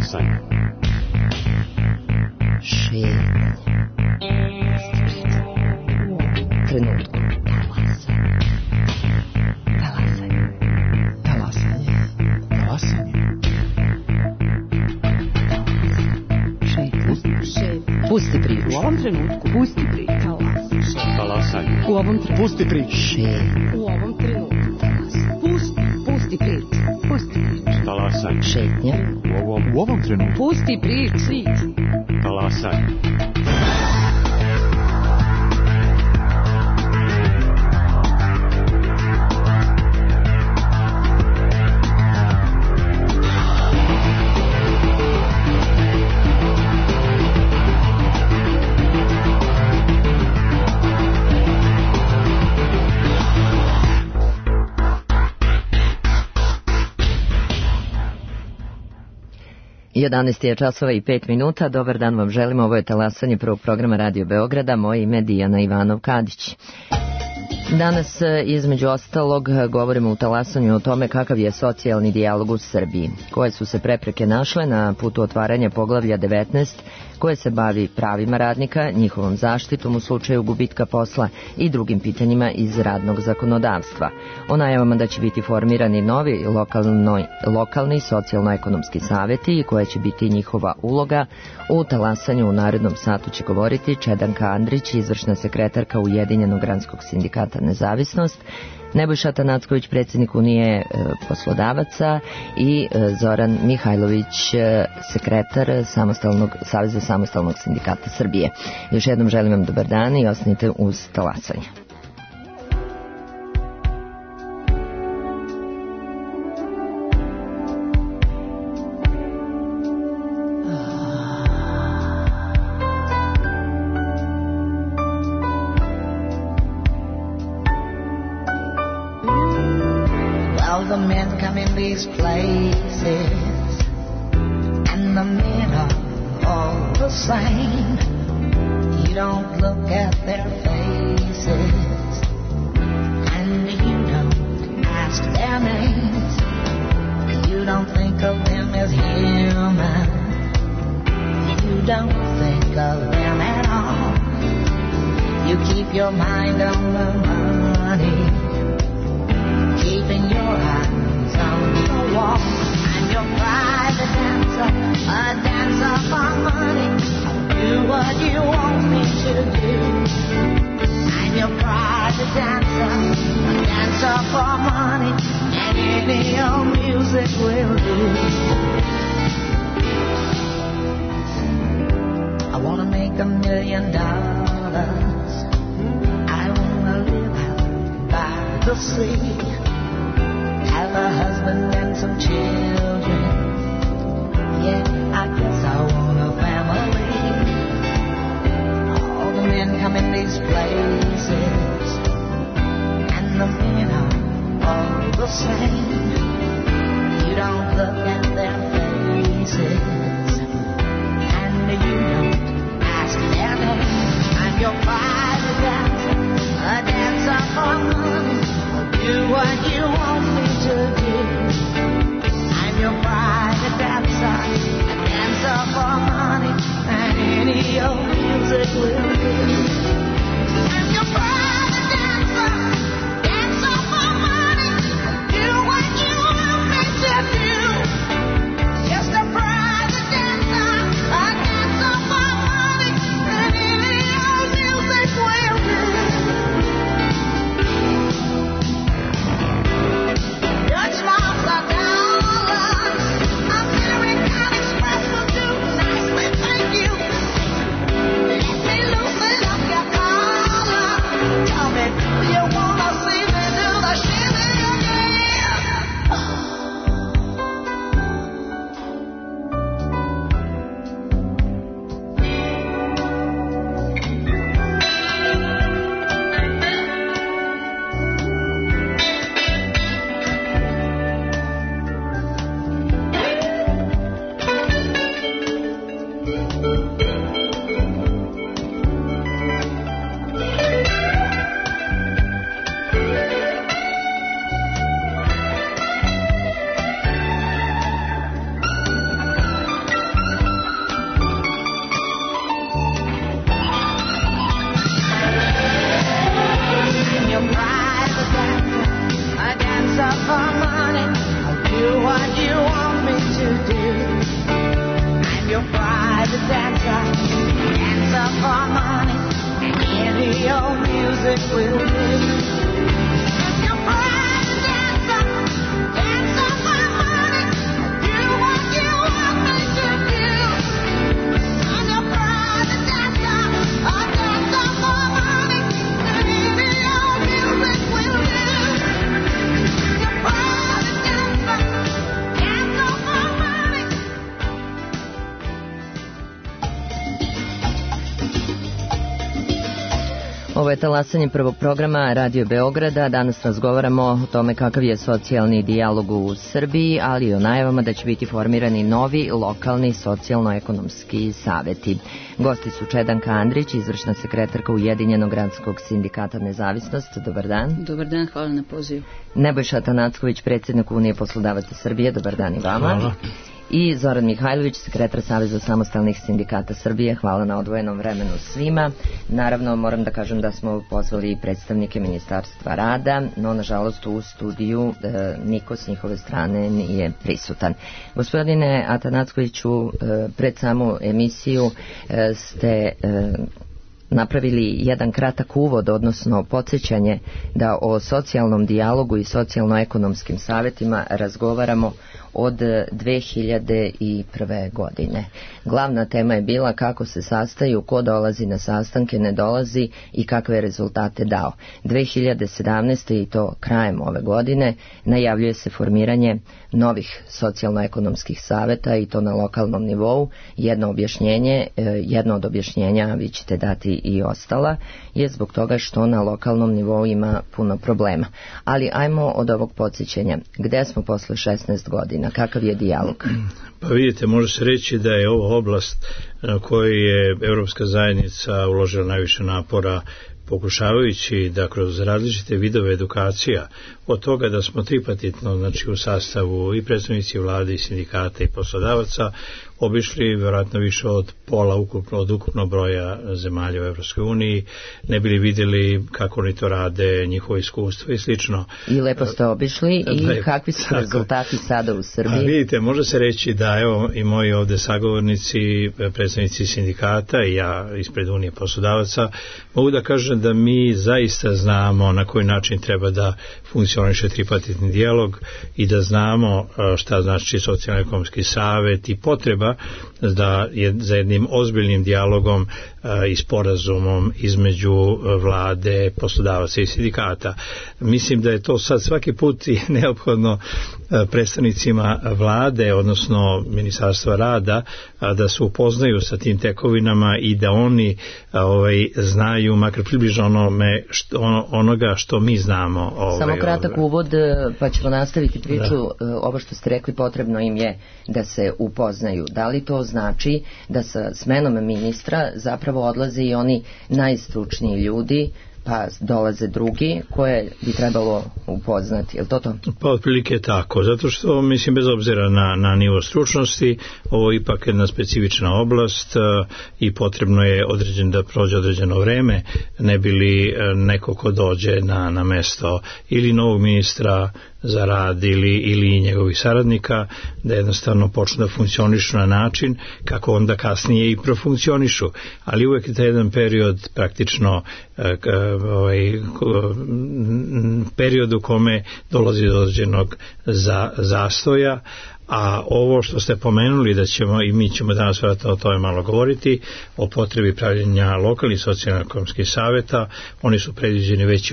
Talasanje. Šetnje. Trenutku. Talasanje. Talasanje. Talasanje. Pusti priču. U ovom trenutku. Pusti priču. Talasanje. U ovom trenutku. Pusti priču. U ovom trenutku. Pusti priču. Pusti priču. Talasanje. Šetnja. U ovom trenutku. Pusti priču. Talasanje. I 11 je časova i 5 minuta. Dobar dan vam želimo. Ovo je talasanje prvog programa Radio Beograda. Moje ime je Dijana Ivanov-Kadić. Danas, između ostalog, govorimo u talasanju o tome kakav je socijalni dijalog u Srbiji, koje su se prepreke našle na putu otvaranja poglavlja 19, koje se bavi pravima radnika, njihovom zaštitom u slučaju gubitka posla i drugim pitanjima iz radnog zakonodavstva. O najavama da će biti formirani novi lokalni socijalno-ekonomski saveti i koja će biti njihova uloga u talasanju u narednom satu će govoriti Čedanka Andrić, izvršna sekretarka Ujedinjenog granskog sindikata Nezavisnost, Nebojša Tanacković, predsjednik Unije poslodavaca i Zoran Mihajlović, sekretar Saveza samostalnog sindikata Srbije. Još jednom želim vam dobar dan i ostanite uz talasanje. The men come in these places, and the men are all the same. You don't look at their faces, and you don't ask their names. You don't think of them as human. You don't think of them at all. You keep your mind on the money, keeping your eyes on the wall. I'm your private dancer, a dancer for money. Do what you want me to do. I'm your private dancer, a dancer for money, and any old music will do. I wanna make $1 million. I wanna live out by the sea, have a husband and some children. Yeah, I guess I want a family. All the men come in these places, and the men are all the same. You don't look at their faces, and you don't ask their name. I'm your private dancer, a dancer for money. Do what you want me to do. I'm your private dancer, a dancer for money, and any old music will do. I'm your private dancer, dancer for money. Do what you want me to do. Just a private dancer, a dancer for money, and any old music will do. music will do. Your pride and dancer, dance on my money, do what you want me to do. And your pride and dancer, dance on my money, baby, your music will do. Your pride and dancer, dance on my money. Ovo je talasanje prvog programa Radio Beograda. Danas razgovaramo o tome kakav je socijalni dijalog u Srbiji, ali i o najavama da će biti formirani novi lokalni socijalno-ekonomski saveti. Gosti su Čedanka Andrić, izvršna sekretarka Ujedinjenog gradskog sindikata Nezavisnost. Dobar dan. Dobar dan, hvala na pozivu. Nebojša Atanacković, predsjednik Unije poslodavaca Srbije. Dobar dan i vama. Hvala. I Zoran Mihajlović, sekretar Saveza samostalnih sindikata Srbije. Hvala na odvojenom vremenu svima. Naravno, moram da kažem da smo pozvali i predstavnike Ministarstva rada, no nažalost u studiju niko s njihove strane nije prisutan. Gospodine Atanackoviću, pred samu emisiju ste napravili jedan kratak uvod, odnosno podsjećanje da o socijalnom dijalogu i socijalno-ekonomskim savjetima razgovaramo od 2001. godine. Glavna tema je bila kako se sastaju, ko dolazi na sastanke, ne dolazi i kakve rezultate dao. 2017. i to krajem ove godine najavljuje se formiranje novih socijalno-ekonomskih savjeta i to na lokalnom nivou. Jedno od objašnjenja, vi ćete dati i ostala, je zbog toga što na lokalnom nivou ima puno problema. Ali ajmo od ovog podsjećanja. Gde smo posle 16 godina? Kakav je dijalog? Pa vidite, može se reći da je ovo oblast na kojoj je Evropska zajednica uložila najviše napora, pokušavajući da kroz različite vidove edukacija, od toga da smo tripartitno, znači u sastavu i predstavnici vlade i sindikata i poslodavaca, obišli vjerojatno više od pola od ukupnog broja zemalja u Evropskoj uniji, ne bili vidjeli kako oni to rade, njihovo iskustvo i slično. I lepo ste obišli i kakvi su rezultati sada u Srbiji? A vidite, može se reći da evo i moji ovde sagovornici, predstavnici sindikata i ja ispred Unije poslodavaca, mogu da kažem da mi zaista znamo na koji način treba da funkcioniše tripartitni dijalog i da znamo šta znači socijalno-ekonomski savjet i potreba da je za jednim ozbiljnim dijalogom i sporazumom između vlade, poslodavaca i sindikata. Mislim da je to sad svaki put i neophodno predstavnicima vlade, odnosno Ministarstva rada, da se upoznaju sa tim tekovinama i da oni znaju makar približno onoga što mi znamo. Samo kratak uvod, pa ćemo nastaviti priču. Ovo što ste rekli, potrebno im je da se upoznaju. Da li to znači da sa smenom ministra zapravo odlaze i oni najstručniji ljudi, pa dolaze drugi koje bi trebalo upoznati, je li to to? Pa otprilike tako, zato što mislim bez obzira na nivo stručnosti, ovo je ipak jedna specifična oblast i potrebno je da prođe određeno vreme, ne bi li neko ko dođe na mesto ili novog ministra za rad ili njegovih saradnika, da jednostavno počnu da funkcionišu na način kako onda kasnije i profunkcionišu. Ali uvek je taj jedan period praktično period u kome dolazi do određenog zastoja, a ovo što ste pomenuli da ćemo i mi ćemo danas vjerojatno o tome malo govoriti, o potrebi pravljenja lokalnih socijalno-ekonomskih savjeta, oni su predviđeni već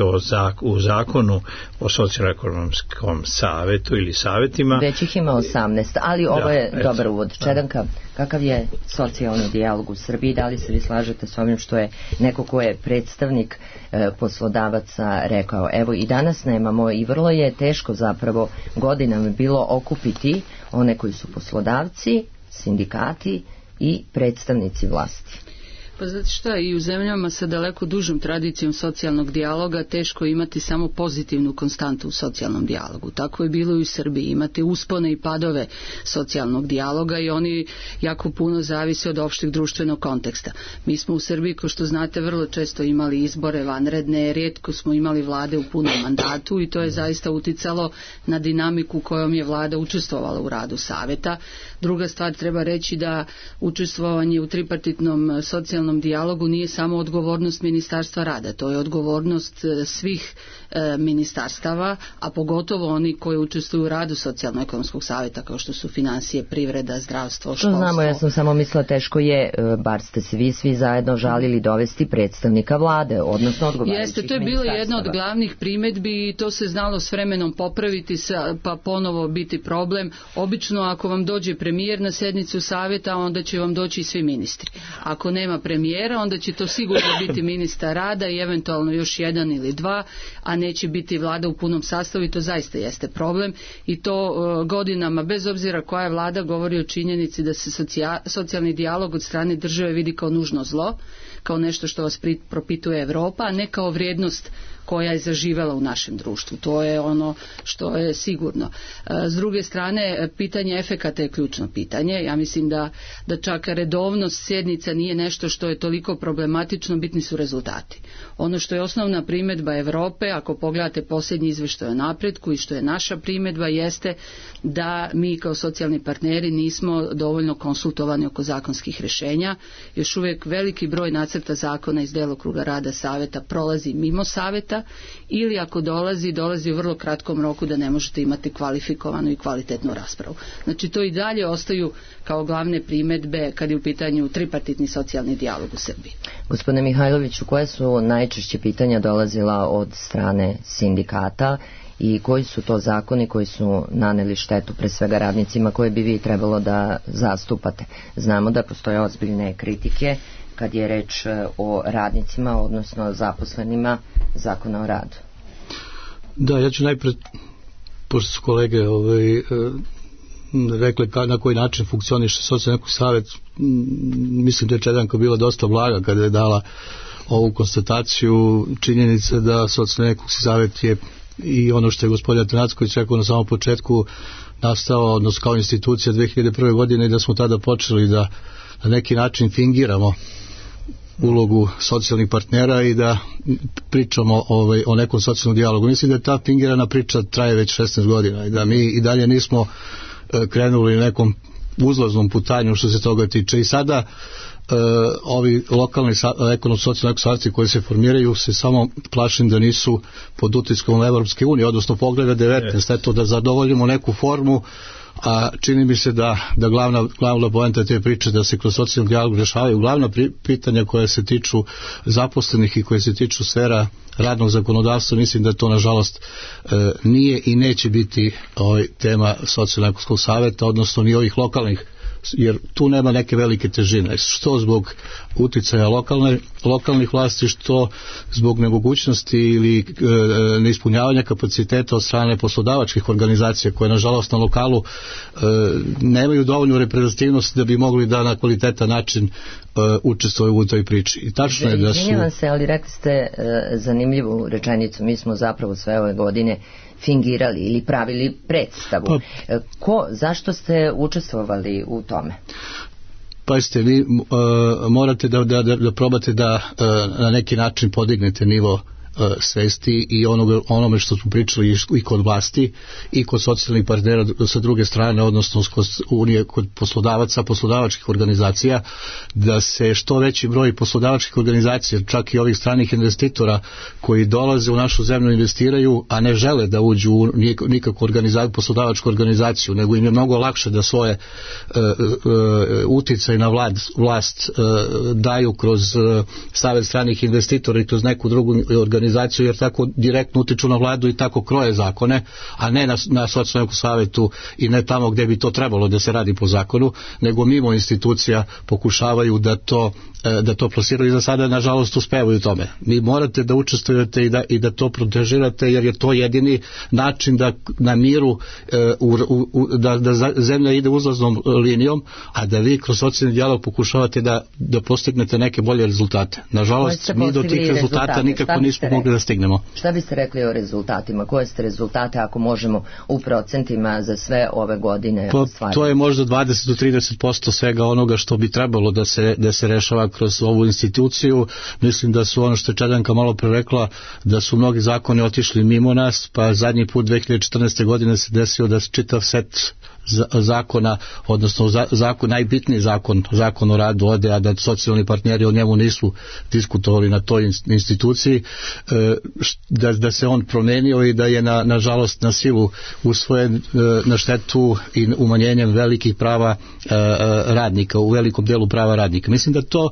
u zakonu o socijalno-ekonomskom savjetu ili savjetima. Već ih ima 18, ali ovo je dobar uvod. Čedanka, kakav je socijalni dijalog u Srbiji? Da li se vi slažete s ovim što je neko ko je predstavnik poslodavaca rekao? Evo i danas nemamo i vrlo je teško zapravo godinama bilo okupiti one koji su poslodavci, sindikati i predstavnici vlasti. Pa znate šta, i u zemljama sa daleko dužom tradicijom socijalnog dijaloga teško imati samo pozitivnu konstantu u socijalnom dijalogu. Tako je bilo i u Srbiji. Imate uspone i padove socijalnog dijaloga i oni jako puno zavise od opšteg društvenog konteksta. Mi smo u Srbiji, kao što znate, vrlo često imali izbore vanredne, rijetko smo imali vlade u punom mandatu i to je zaista uticalo na dinamiku kojom je vlada učestvovala u radu savjeta. Druga stvar, treba reći da učestvovanje u tripartitnom socijalnom socijalnom dijalogu nije samo odgovornost Ministarstva rada, to je odgovornost svih ministarstava, a pogotovo oni koji učestvuju u radu socijalno-ekonomskog savjeta, kao što su financije, privreda, zdravstvo, školstvo. To znamo, ja sam samo mislila teško je, bar ste se vi svi zajedno žalili dovesti predstavnika vlade, odnosno odgovarajućih Jeste, to je bilo jedna od glavnih primjedbi i to se znalo s vremenom popraviti pa ponovo biti problem. Obično ako vam dođe premijer na sjednicu savjeta, onda će vam doći i svi ministri. Ako nema premijera, onda će to sigurno biti ministar rada i eventualno još jedan ili dva, a neće biti vlada u punom sastavu i to zaista jeste problem i to godinama, bez obzira koja je vlada, govori o činjenici da se socijalni dijalog od strane države vidi kao nužno zlo, kao nešto što vas propituje Europa, a ne kao vrijednost koja je zaživela u našem društvu. To je ono što je sigurno. S druge strane, pitanje efekata je ključno pitanje. Ja mislim da čak redovnost sjednica nije nešto što je toliko problematično, bitni su rezultati. Ono što je osnovna primjedba Europe, ako pogledate posljednji izvještaj o napretku i što je naša primjedba, jeste da mi kao socijalni partneri nismo dovoljno konsultovani oko zakonskih rješenja. Još uvijek veliki broj nacrta zakona iz djelokruga rada savjeta prolazi mimo savjeta, ili ako dolazi u vrlo kratkom roku da ne možete imati kvalifikovanu i kvalitetnu raspravu. Znači to i dalje ostaju kao glavne primjedbe kad je u pitanju tripartitni socijalni dijalog u Srbiji. Gospodine Mihajloviću, koje su najčešće pitanja dolazila od strane sindikata i koji su to zakoni koji su naneli štetu pre svega radnicima koje bi vi trebalo da zastupate? Znamo da postoje ozbiljne kritike kad je reč o radnicima, odnosno zaposlenima Zakona o radu. Da, ja ću najpred, pošto su kolege rekli na koji način funkcioniše socijalni savjet, mislim da je Čedanka bila dosta blaga kada je dala ovu konstataciju činjenice da socijalni savjet je i ono što je gospodin Atanacković rekao na samom početku nastao, odnosno kao institucija 2001. godine i da smo tada počeli da na neki način fingiramo ulogu socijalnih partnera i da pričamo o nekom socijalnom dijalogu. Mislim da ta fingirana priča traje već 16 godina i da mi i dalje nismo krenuli nekom uzlaznom putanju što se toga tiče. I sada ovi lokalni ekonomsko-socijalni savjeti koji se formiraju se samo plašim da nisu pod utiskom Evropske unije, odnosno Pogleda 19, eto da zadovoljimo neku formu, a čini mi se da glavna poenta te priče da se kroz socijalni dijalog rješavaju glavna pitanja koja se tiču zaposlenih i koje se tiču sfera radnog zakonodavstva. Mislim da to nažalost nije i neće biti tema socijalno-ekonomskog savjeta, odnosno ni ovih lokalnih, jer tu nema neke velike težine, što zbog uticaja lokalnih vlasti, što zbog nemogućnosti ili neispunjavanja kapaciteta od strane poslodavačkih organizacija koje nažalost na lokalu nemaju dovoljnu reprezentativnost da bi mogli da na kvalitetan način učestvuju u toj priči. I tačno je da su... Izvinjavam se, ali rekli ste zanimljivu rečenicu, mi smo zapravo sve ove godine fingirali ili pravili predstavu. Zašto ste učestvovali u tome? Pazite, vi morate da probate da na neki način podignete nivo svesti i onome što smo pričali i kod vlasti i kod socijalnih partnera sa druge strane, odnosno kod Unije, kod poslodavaca, poslodavačkih organizacija, da se što veći broj poslodavačkih organizacija, čak i ovih stranih investitora koji dolaze u našu zemlju investiraju, a ne žele da uđu u nikakvu poslodavačku organizaciju, nego im je mnogo lakše da svoje uticaj na vlast daju kroz Savet stranih investitora i kroz neku drugu organizaciju, jer tako direktno utiču na vladu i tako kroje zakone, a ne na socijalnom savjetu i ne tamo gdje bi to trebalo da se radi po zakonu, nego mimo institucija pokušavaju da to plasiraju i za sada nažalost uspevaju u tome. Vi morate da učestvujete i da to protežirate, jer je to jedini način da na miru da zemlja ide uzlaznom linijom, a da vi kroz socijalni dijalog pokušavate da postignete neke bolje rezultate. Nažalost, mi do tih rezultata nikako nismo mogli da stignemo. Šta biste rekli o rezultatima? Koje ste rezultate, ako možemo u procentima, za sve ove godine ostvariti? To je možda 20 do 30% svega onoga što bi trebalo da se rešava kroz ovu instituciju. Mislim da su, ono što je Čedanka malo pre rekla, da su mnogi zakoni otišli mimo nas, pa zadnji put 2014. godine se desio da čitav set zakona, odnosno najbitniji zakon o radu ode, a da socijalni partneri o njemu nisu diskutovali na toj instituciji, da se on promenio i da je nažalost na silu usvojen na štetu i umanjenjem velikih prava radnika, u velikom delu prava radnika. Mislim da to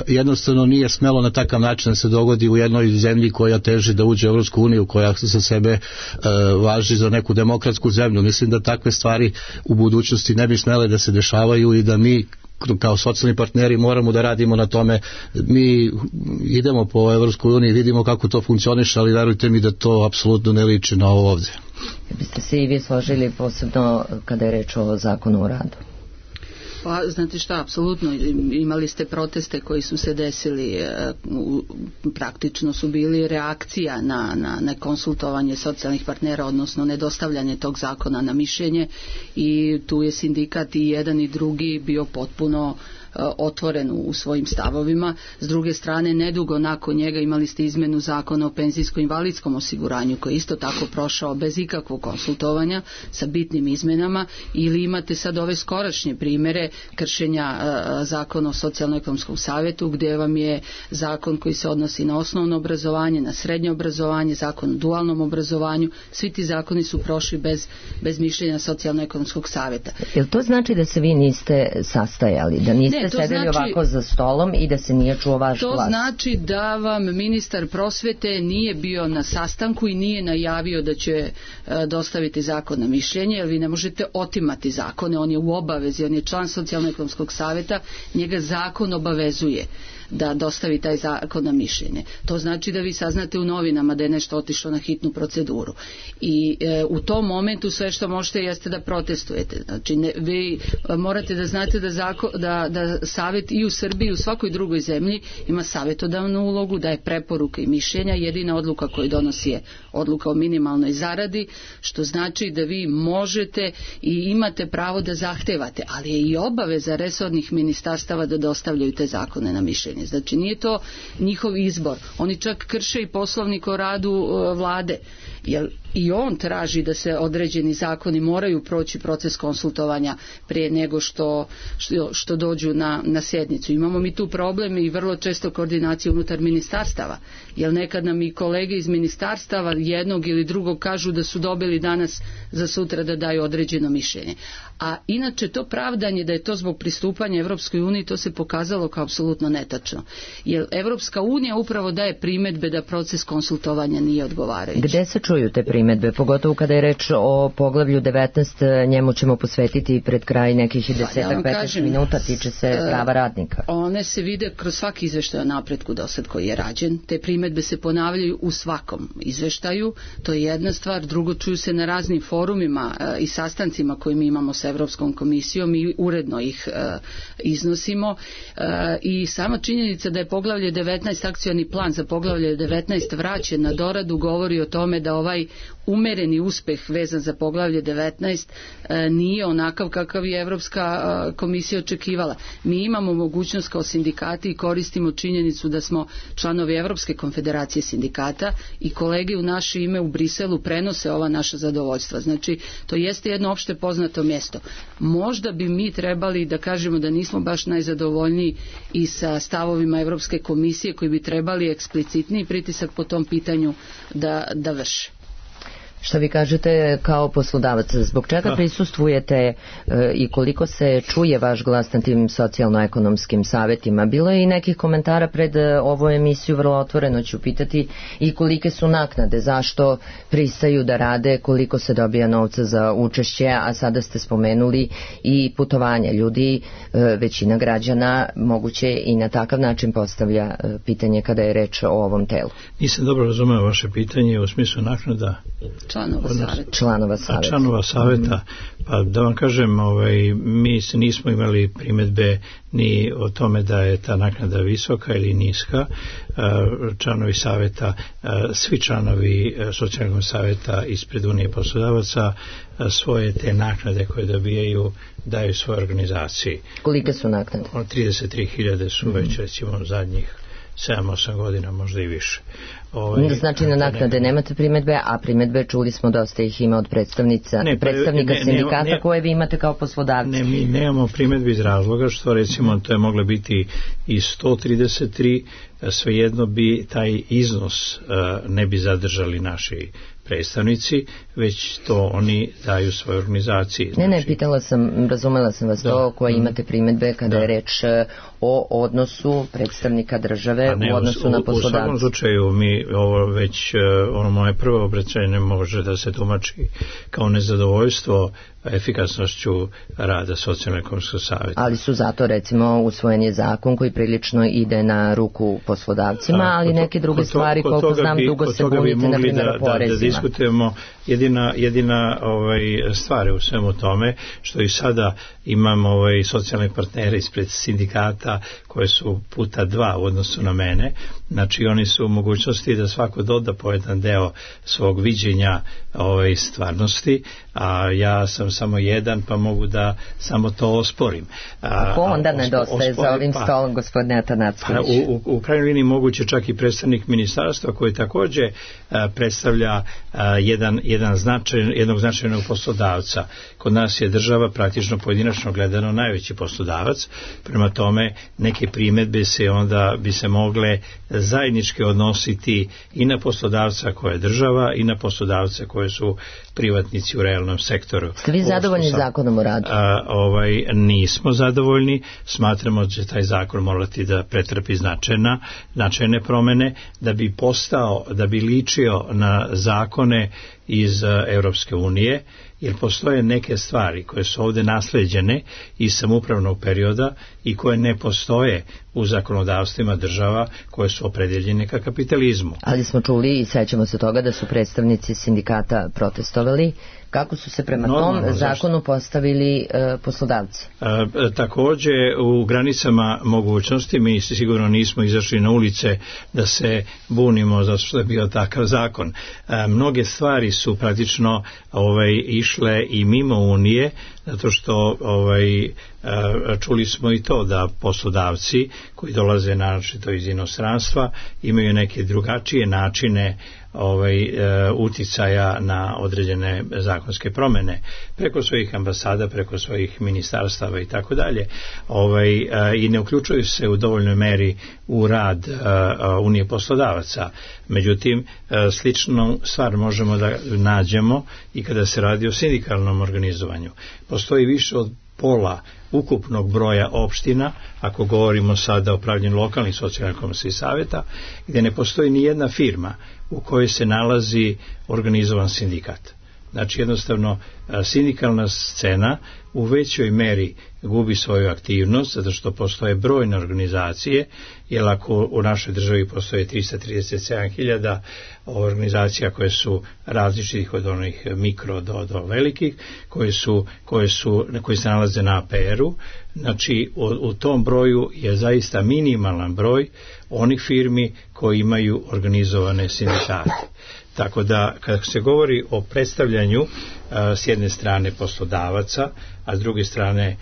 jednostavno nije smelo na takav način da se dogodi u jednoj zemlji koja teži da uđe u Evropsku uniju, koja za sebe važi za neku demokratsku zemlju. Mislim da takve stvari u budućnosti ne bi smele da se dešavaju i da mi kao socijalni partneri moramo da radimo na tome. Mi idemo po Evropskoj uniji, vidimo kako to funkcioniše, ali verujte mi da to apsolutno ne liči na ovo ovdje. Biste se i vi složili posebno kada je reč o zakonu o radu? Pa, znate šta, apsolutno, imali ste proteste koji su se desili, praktično su bili reakcija na nekonsultovanje socijalnih partnera, odnosno nedostavljanje tog zakona na mišljenje, i tu je sindikat i jedan i drugi bio potpuno otvoren u svojim stavovima. S druge strane, nedugo nakon njega imali ste izmenu zakona o penzijsko-invalidskom osiguranju, koji je isto tako prošao bez ikakvog konsultovanja, sa bitnim izmenama, ili imate sad ove skorašnje primere kršenja zakona o socijalno-ekonomskom savjetu, gdje vam je zakon koji se odnosi na osnovno obrazovanje, na srednje obrazovanje, zakon o dualnom obrazovanju. Svi ti zakoni su prošli bez mišljenja socijalno-ekonomskog savjeta. Jel to znači da se vi niste sastajali, da niste sedeli ovako za stolom i da se nije čuo vaš glas? To znači da vam ministar prosvete nije bio na sastanku i nije najavio da će dostaviti zakon na mišljenje, jer vi ne možete otimati zakone, on je u obavezi, on je član socijalno-ekonomskog savjeta, njega zakon obavezuje da dostavi taj zakon na mišljenje. To znači da vi saznate u novinama da je nešto otišlo na hitnu proceduru. I u tom momentu sve što možete jeste da protestujete. Znači, vi morate da znate da savjet i u Srbiji i u svakoj drugoj zemlji ima savjetodavnu ulogu, da je preporuka i mišljenja. Jedina odluka koju donosi je odluka o minimalnoj zaradi, što znači da vi možete i imate pravo da zahtevate, ali je i obaveza resornih ministarstava da dostavljaju te zakone na mišljenje. Znači, nije to njihov izbor. Oni čak krše i poslovnik o radu vlade, jer i on traži da se određeni zakoni moraju proći proces konsultovanja prije nego što dođu na sjednicu. Imamo mi tu problem i vrlo često koordinaciju unutar ministarstava, jer nekad nam i kolege iz ministarstava jednog ili drugog kažu da su dobili danas za sutra da daju određeno mišljenje. A inače to pravdanje da je to zbog pristupanja Evropskoj uniji, to se pokazalo kao apsolutno netačno. Jer Evropska unija upravo daje primjedbe da proces konsultovanja nije odgovarajući. Gde se čuju te primjedbe, pogotovo kada je reč o poglavlju 19, njemu ćemo posvetiti pred kraj nekih 10-15 minuta, tiče se prava radnika. One se vide kroz svaki izveštaj o napretku dosad koji je rađen. Te primjedbe se ponavljaju u svakom izveštaju, to je jedna stvar. Drugo, čuju se na raznim forumima i sastancima koje mi imamo sa Evropskom komisijom i uredno ih iznosimo. I sama činjenica da je poglavlje 19, akcioni plan za poglavlje 19 vraćen na doradu, govori o tome da ovaj umereni uspeh vezan za poglavlje 19 nije onakav kakav je Evropska komisija očekivala. Mi imamo mogućnost kao sindikati i koristimo činjenicu da smo članovi Evropske konfederacije sindikata i kolege u naše ime u Briselu prenose ova naša zadovoljstva. Znači, to jeste jedno opšte poznato mjesto. Možda bi mi trebali da kažemo da nismo baš najzadovoljniji i sa stavovima Evropske komisije, koji bi trebali eksplicitniji pritisak po tom pitanju da vrše. Šta vi kažete kao poslodavac, zbog čega prisustvujete i koliko se čuje vaš glas na tim socijalno-ekonomskim savjetima? Bilo je i nekih komentara pred ovu emisiju, vrlo otvoreno ću pitati, i kolike su naknade, zašto pristaju da rade, koliko se dobija novca za učešće, a sada ste spomenuli i putovanja. Ljudi, većina građana moguće i na takav način postavlja pitanje kada je reč o ovom telu. Nisam dobro razumeo vaše pitanje u smislu naknada članova savjeta. Pa da vam kažem, mi nismo imali primjedbe ni o tome da je ta naknada visoka ili niska. Članovi savjeta, svi članovi socijalnog savjeta ispred Unije poslodavaca svoje te naknade koje dobijaju daju svoje organizaciji. Kolike su naknade? 33.000 su već recimo zadnjih 7-8 godina, možda i više. Znači na naknade nemate primedbe, a primedbe čuli smo dosta ih ima od predstavnika sindikata koje vi imate kao poslodavci. Ne, mi nemamo primedbe iz razloga što recimo to je moglo biti i 133, svejedno bi taj iznos ne bi zadržali naši predstavnici, već to oni daju svoje organizaciji. Znači... Ne, razumela sam vas to koje imate primedbe kada je reč o odnosu predstavnika države u odnosu na poslodavce. U svakom slučaju mi ovo već, moje prvo obraćanje može da se tumači kao nezadovoljstvo efikasnošću rada Socijalno-ekonomskog savjeta. Ali su zato recimo usvojen je zakon koji prilično ide na ruku poslodavcima, ali neke druge stvari koliko znam dugo se bunite na primjer o porezima. Da diskutujemo jedina stvar u svemu tome što i sada imamo socijalne partnere ispred sindikata koje su puta 2 u odnosu na mene, znači oni su u mogućnosti da svako doda po jedan deo svog viđenja stvarnosti, a ja sam samo jedan pa mogu da samo to osporim. Ko onda nedostaje za ovim stolom, gospodine Atanacković? U krajnjoj liniji moguće čak i predstavnik ministarstva koji također predstavlja jednog značajnog poslodavca. Kod nas je država praktično pojedinačno gledano najveći poslodavac, prema tome neke primedbe se onda bi se mogle zajednički odnositi i na poslodavca koje je država i na poslodavce koje su privatnici u realnom sektoru. Ste vi zadovoljni zakonom o radu? Nismo zadovoljni, smatramo da će taj zakon morati da pretrpi značajne promene, da bi ličio na zakone iz Europske unije, jer postoje neke stvari koje su ovdje nasleđene iz samoupravnog perioda i koje ne postoje u zakonodavstvima država koje su opredeljene ka kapitalizmu. Ali smo čuli i sećamo se toga da su predstavnici sindikata protestovali. Kako su se prema tom zakonu postavili poslodavci? Također u granicama mogućnosti, mi sigurno nismo izašli na ulice da se bunimo zato što je bio takav zakon. Mnoge stvari su praktično išle i mimo Unije, zato što čuli smo i to da poslodavci koji dolaze naročito iz inostranstva imaju neke drugačije načine uticaja na određene zakonske promjene preko svojih ambasada, preko svojih ministarstava i tako dalje, i ne uključuju se u dovoljnoj meri u rad Unije poslodavaca. Međutim, sličnu stvar možemo da nađemo i kada se radi o sindikalnom organizovanju. Postoji više od pola ukupnog broja opština, ako govorimo sada o upravljanju lokalnih socijalno-ekonomskih savjeta, gdje ne postoji ni jedna firma u kojoj se nalazi organizovan sindikat. Znači jednostavno sindikalna scena u većoj meri gubi svoju aktivnost zato što postoje brojne organizacije, jer ako u našoj državi postoje 337.000 organizacija koje su različitih od onih mikro do velikih, koji se nalaze na APR-u, znači u tom broju je zaista minimalan broj onih firmi koji imaju organizovane sindikate. Tako da kada se govori o predstavljanju s jedne strane poslodavaca, a s druge strane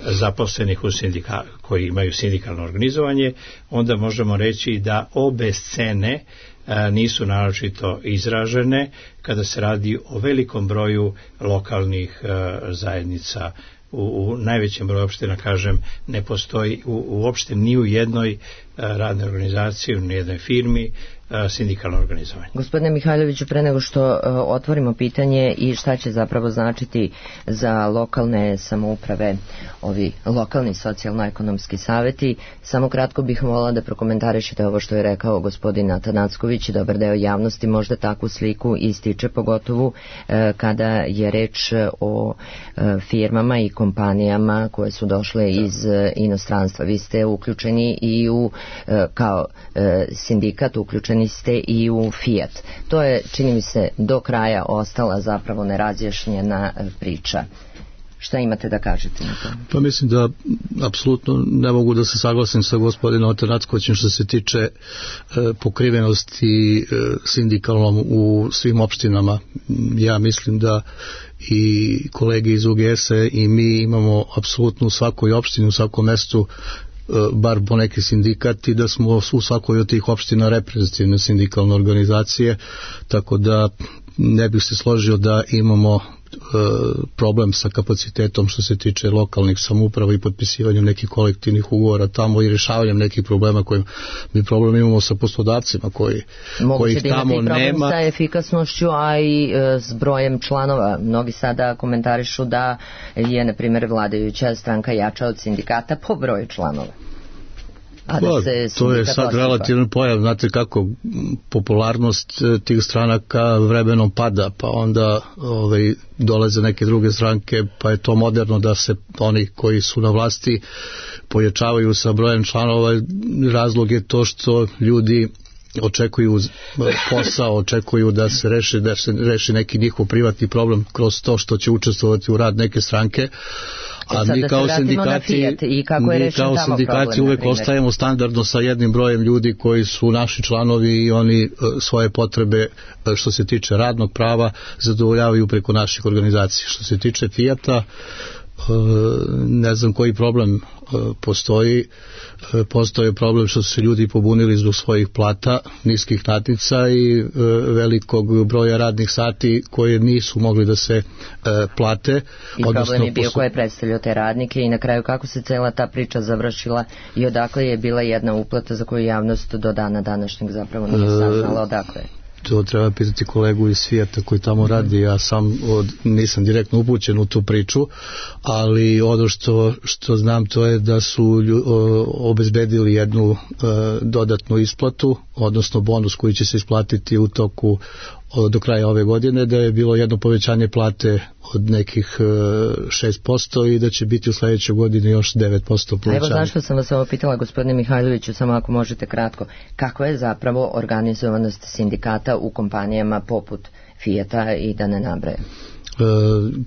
zaposlenih koji imaju sindikalno organizovanje, onda možemo reći da obe scene nisu naročito izražene kada se radi o velikom broju lokalnih zajednica. U najvećem broju opština, kažem, ne postoji uopšte ni u jednoj radnoj organizaciji, ni u jednoj firmi sindikalno organizovanje. Gospodine Mihajloviću, pre nego što otvorimo pitanje i šta će zapravo značiti za lokalne samouprave ovi lokalni socijalno-ekonomski savjeti, samo kratko bih volila da prokomentarišete ovo što je rekao gospodin Atanacković. Dobar deo javnosti možda takvu sliku ističe, pogotovo kada je reč o firmama i kompanijama koje su došle iz inostranstva. Vi ste uključeni i u kao sindikat, uključeni ste i u Fiat. To je, čini mi se, do kraja ostala zapravo nerazjašnjena priča. Šta imate da kažete na to? Pa mislim da apsolutno ne mogu da se saglasim sa gospodinom Atanackovićem što se tiče pokrivenosti sindikalnom u svim opštinama. Ja mislim da i kolege iz UGS-a i mi imamo apsolutno u svakoj opštini, u svakom mestu bar po neki sindikat i da smo u svakoj od tih opština reprezentativne sindikalne organizacije, tako da ne bih se složio da imamo problem sa kapacitetom što se tiče lokalnih samouprava i potpisivanjem nekih kolektivnih ugovora tamo i rješavanjem nekih problema koji mi problem imamo sa poslodavcima kojih tamo nema. Moguće da imate i problem sa efikasnošću, a i s brojem članova. Mnogi sada komentarišu da je, na primjer, vladajuća stranka jača od sindikata po broju članova. To je sad relativno pojav, znate kako popularnost tih stranaka vremenom pada, pa onda dolaze neke druge stranke, pa je to moderno da se oni koji su na vlasti pojačavaju sa brojem članova. Razlog je to što ljudi očekuju posao, očekuju da se reši neki njihov privatni problem kroz to što će učestvovati u rad neke stranke. A mi kao sindikati uvek ostajemo standardno sa jednim brojem ljudi koji su naši članovi i oni svoje potrebe što se tiče radnog prava zadovoljavaju preko naših organizacija. Što se tiče Fijata, ne znam koji problem postoji. Postoji problem što su se ljudi pobunili zbog svojih plata, niskih natnica i velikog broja radnih sati koje nisu mogli da se plate. I problem je bio ko je predstavljao te radnike i na kraju kako se cela ta priča završila i odakle je bila jedna uplata za koju javnost do dana današnjeg zapravo nije saznala odakle je. To treba pitati kolegu iz Fijata koji tamo radi, ja sam nisam direktno upućen u tu priču, ali ono što znam to je da su obezbedili jednu dodatnu isplatu, odnosno bonus koji će se isplatiti u toku do kraja ove godine, da je bilo jedno povećanje plate od nekih 6% i da će biti u sledećoj godini još 9% povećanje. Evo zašto sam vas ovo pitala, gospodine Mihajloviću, samo ako možete kratko. Kakva je zapravo organizovanost sindikata u kompanijama poput Fijata i da ne nabrajam?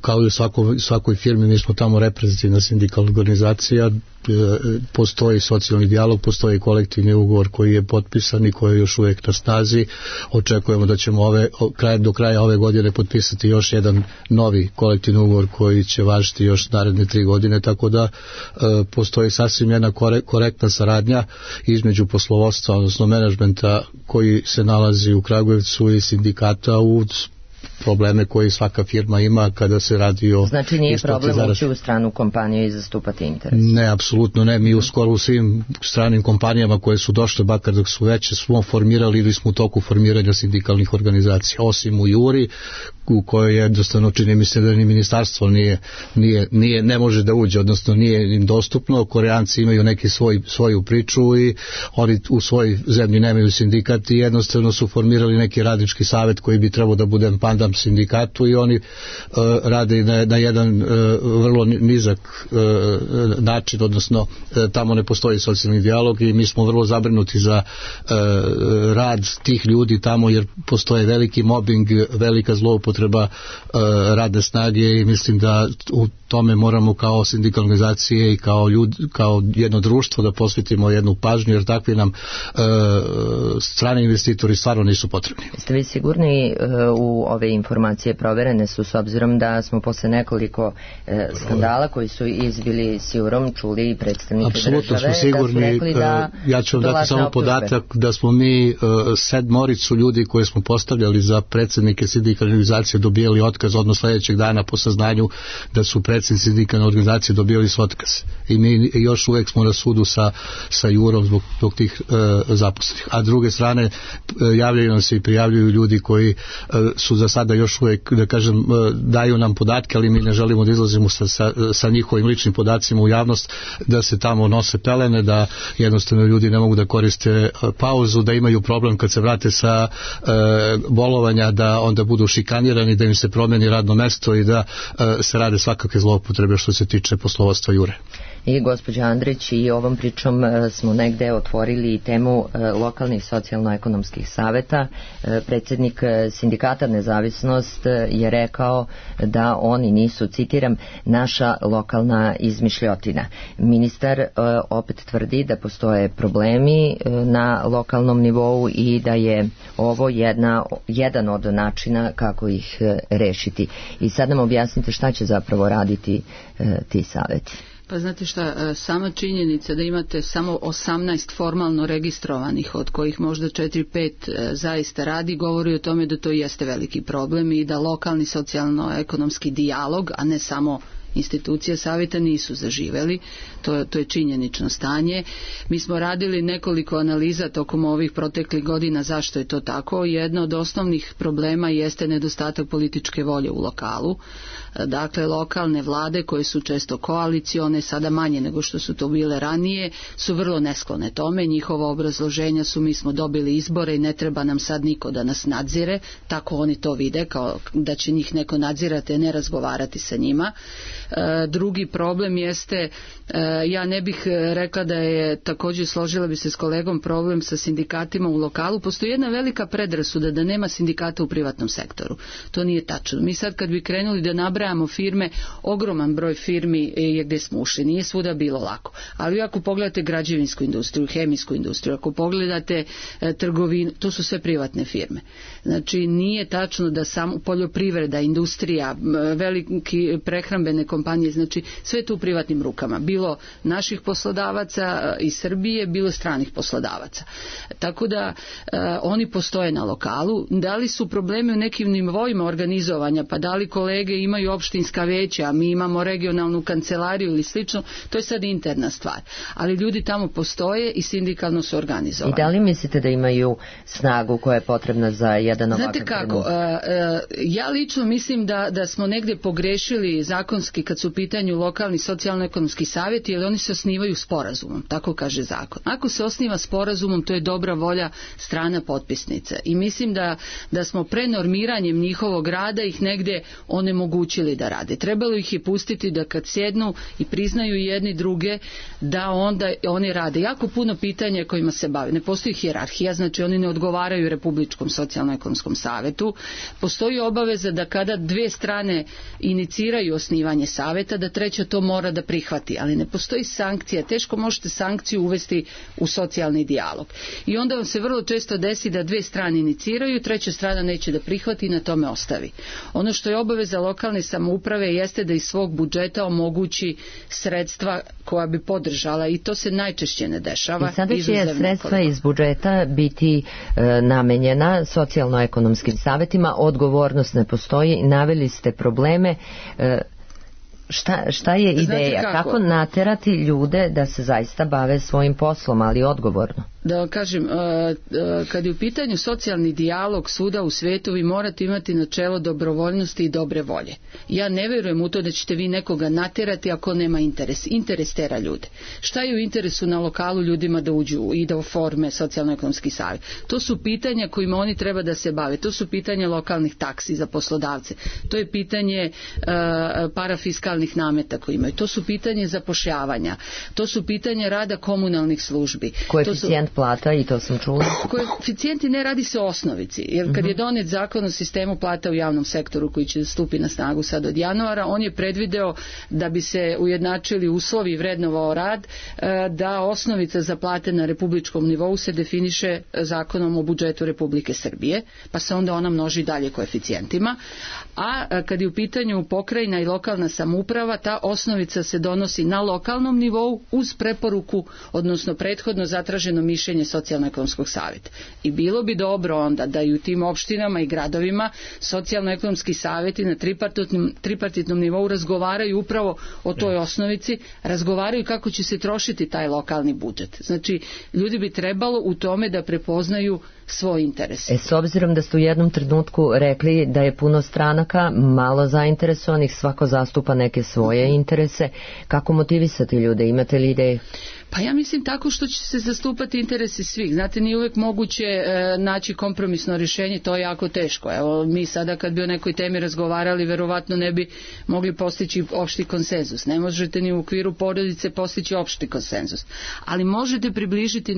Kao i u svakoj firmi, mi smo tamo reprezentativna sindikalna organizacija, postoji socijalni dijalog, postoji kolektivni ugovor koji je potpisan i koji je još uvijek na snazi. Očekujemo da ćemo do kraja ove godine potpisati još jedan novi kolektivni ugovor koji će važiti još naredne 3 godine, tako da postoji sasvim jedna korektna saradnja između poslovodstva, odnosno menadžmenta koji se nalazi u Kragujevcu i sindikata u probleme koje svaka firma ima kada se radi o... Znači nije problem ući u stranu kompaniju i zastupati interes? Ne, apsolutno ne. Mi skoro u svim stranim kompanijama koje su došle, bakar dok su veće, smo formirali ili smo u toku formiranja sindikalnih organizacija. Osim u Juri, u kojoj jednostavno čini mi se da ni ministarstvo ne može da uđe, odnosno nije im dostupno. Koreanci imaju neki svoju priču i oni u svojoj zemlji nemaju sindikat i jednostavno su formirali neki radnički savet koji bi trebao da bude pandam sindikatu i oni rade na jedan vrlo nizak način, odnosno tamo ne postoji socijalni dijalog i mi smo vrlo zabrinuti za rad tih ljudi tamo jer postoje veliki mobbing, velika zloupotreba radne snage i mislim da u tome moramo kao sindikalne organizacije i kao jedno društvo da posvetimo jednu pažnju jer takvi nam strani investitori stvarno nisu potrebni. Ste vi sigurni u ove informacije proverene su s obzirom da smo posle nekoliko skandala koji su izbili siurom čuli predstavnike države? Apsolutno smo sigurni. Ja ću vam dati samo podatak da smo mi 7 ljudi koje smo postavljali za predsjednike sindikalne organizacije dobijali otkaz odmah sledećeg dana po saznanju da su predsjednici sindikalne organizacije dobijali su otkaz. I mi još uvek smo na sudu sa Jurom zbog tih zaposlenih. A s druge strane javljaju nam se i prijavljuju ljudi koji su za sada još uvek, da kažem, daju nam podatke, ali mi ne želimo da izlazimo sa njihovim ličnim podacima u javnost, da se tamo nose pelene, da jednostavno ljudi ne mogu da koriste pauzu, da imaju problem kad se vrate sa bolovanja, da onda budu šikanirani, da im se promeni radno mesto i da se rade svakakve zloupotrebe što se tiče poslovodstva Jure. I gospođa Andrić, i ovom pričom smo negde otvorili temu lokalnih socijalno-ekonomskih saveta. Predsjednik sindikata Nezavisnost je rekao da oni nisu, citiram, naša lokalna izmišljotina. Ministar opet tvrdi da postoje problemi na lokalnom nivou i da je ovo jedan od načina kako ih rešiti. I sad nam objasnite šta će zapravo raditi ti saveti. Pa znate šta, sama činjenica da imate samo 18 formalno registrovanih, od kojih možda 4-5 zaista radi, govori o tome da to jeste veliki problem i da lokalni socijalno-ekonomski dijalog, a ne samo institucije savjeta, nisu zaživeli. To je činjenično stanje. Mi smo radili nekoliko analiza tokom ovih proteklih godina zašto je to tako. Jedno od osnovnih problema jeste nedostatak političke volje u lokalu. Dakle, lokalne vlade koje su često koalicione, sada manje nego što su to bile ranije, su vrlo nesklone tome. Njihova obrazloženja su: mi smo dobili izbore i ne treba nam sad niko da nas nadzire. Tako oni to vide, kao da će njih neko nadzirati, a ne razgovarati sa njima. Drugi problem jeste, ja ne bih rekla da je, također složila bi se s kolegom, problem sa sindikatima u lokalu. Postoji jedna velika predrasuda da nema sindikata u privatnom sektoru. To nije tačno. Mi sad kad bi krenuli da nabrajamo firme, ogroman broj firmi je gdje smo ušli. Nije svuda bilo lako. Ali ako pogledate građevinsku industriju, hemijsku industriju, ako pogledate trgovinu, to su sve privatne firme. Znači, nije tačno da samo poljoprivreda, industrija, veliki prehrambene kompanije, znači sve to u privatnim rukama. Bilo naših poslodavaca iz Srbije, bilo stranih poslodavaca. Tako da oni postoje na lokalu. Da li su problemi u nekim nivoima organizovanja, pa da li kolege imaju opštinska veća, mi imamo regionalnu kancelariju ili slično, to je sad interna stvar. Ali ljudi tamo postoje i sindikalno su organizovani. I da li mislite da imaju snagu koja je potrebna za jedan ovakav trenutak? Znate kako, ja lično mislim da smo negdje pogrešili zakonski kad su u pitanju lokalni socijalno-ekonomski savjeti, jer oni se osnivaju sporazumom, tako kaže zakon. Ako se osniva sporazumom, to je dobra volja strana potpisnica. I mislim da smo prenormiranjem njihovog rada ih negdje onemogućili da rade. Trebalo ih je pustiti da kad sjednu i priznaju jedni druge, da onda oni rade. Jako puno pitanja kojima se bave. Ne postoji hijerarhija, znači oni ne odgovaraju Republičkom socijalno-ekonomskom savjetu. Postoji obaveza da kada dvije strane iniciraju osnivanje savjeta, da treća to mora da prihvati, ali ne postoji sankcija. Teško možete sankciju uvesti u socijalni dijalog. I onda vam se vrlo često desi da dvije strane iniciraju, treća strana neće da prihvati i na tome ostavi. Ono što je obaveza lokalne samouprave jeste da iz svog budžeta omogući sredstva koja bi podržala, i to se najčešće ne dešava. I sada će sredstva iz budžeta biti namenjena socijalno-ekonomskim savjetima, odgovornost ne postoji, naveli ste probleme. Šta je ideja? Kako naterati ljude da se zaista bave svojim poslom, ali odgovorno? Da kažem, kad je u pitanju socijalni dijalog svuda u svijetu, vi morate imati načelo dobrovoljnosti i dobre volje. Ja ne vjerujem u to da ćete vi nekoga natjerati ako nema interes. Interes tera ljude. Šta je u interesu na lokalu ljudima da uđu i da oforme socijalno-ekonomski savjet? To su pitanja kojima oni treba da se bave. To su pitanja lokalnih taksi za poslodavce. To je pitanje parafiskalnih nameta koji imaju. To su pitanje zapošljavanja. To su pitanja rada komunalnih službi. Koeficijent plata, i to sam čula. Koeficijenti ne radi se o osnovici, jer kad je donijet zakon o sistemu plata u javnom sektoru koji će stupi na snagu sad od januara, on je predvideo da bi se ujednačili uslovi i vrednovao rad, da osnovica za plate na republičkom nivou se definiše zakonom o budžetu Republike Srbije, pa se onda ona množi dalje koeficijentima. A kad je u pitanju pokrajina i lokalna samouprava, ta osnovica se donosi na lokalnom nivou uz preporuku, odnosno prethodno zatraženo mišljenje socijalno-ekonomskog savjeta. I bilo bi dobro onda da i u tim opštinama i gradovima socijalno-ekonomski savjeti na tripartitnom nivou razgovaraju upravo o toj osnovici, razgovaraju kako će se trošiti taj lokalni budžet. Znači, ljudi bi trebalo u tome da prepoznaju svoj interes. S obzirom da ste u jednom trenutku rekli da je puno stranaka, malo zainteresovanih, svako zastupa neke svoje interese, kako motivisati ljude? Imate li ideje? Pa ja mislim tako što će se zastupati interesi svih. Znate, nije uvijek moguće naći kompromisno rješenje, to je jako teško. Evo, mi sada kad bi o nekoj temi razgovarali, verovatno ne bi mogli postići opšti konsenzus. Ne možete ni u okviru porodice postići opšti konsenzus. Ali možete približiti